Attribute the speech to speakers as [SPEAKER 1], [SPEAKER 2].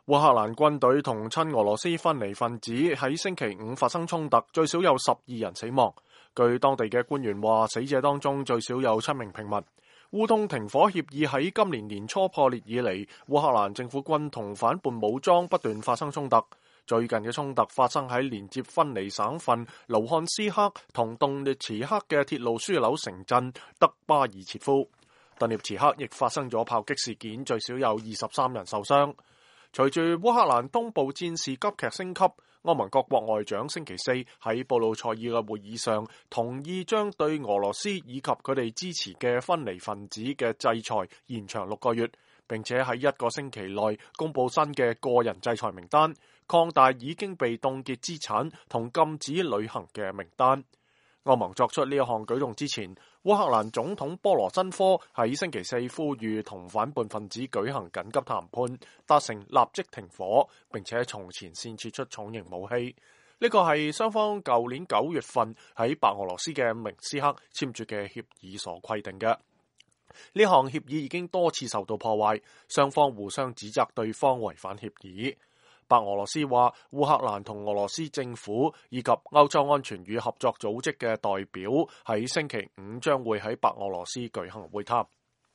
[SPEAKER 1] 烏克蘭軍隊同親俄羅斯分離分子喺星期五發生衝突，最少有12人死亡。據當地嘅官員話，死者當中最少有7名平民。烏東停火協議喺今年年初破裂以嚟，烏克蘭政府軍同反叛武裝不斷發生衝突。最近嘅衝突發生喺連接分離省份盧漢斯克同頓涅茨克嘅鐵路樞紐城鎮德巴爾切夫。頓涅茨克亦發生咗炮擊事件，最少有23人受傷。隨住烏克蘭東部戰事急劇升級，歐盟各國外長星期四喺布魯塞爾嘅會議上同意將對俄羅斯以及佢哋支持嘅分離分子嘅制裁延長6個月，並且喺1個星期內公布新嘅個人制裁名單，擴大已經被凍結資產同禁止旅行嘅名單。歐盟作出呢一項舉動之前，烏克蘭總統波羅申科喺星期四呼籲同反叛分子舉行緊急談判，達成立即停火，並且從前線撤出重型武器。呢個係雙方舊年9月份喺白俄羅斯嘅明斯克簽署嘅協議所規定嘅。呢項協議已經多次受到破壞，雙方互相指責對方違反協議。白俄羅斯話，烏克蘭同俄羅斯政府以及歐洲安全與合作組織嘅代表喺星期五將會喺白俄羅斯舉行會談。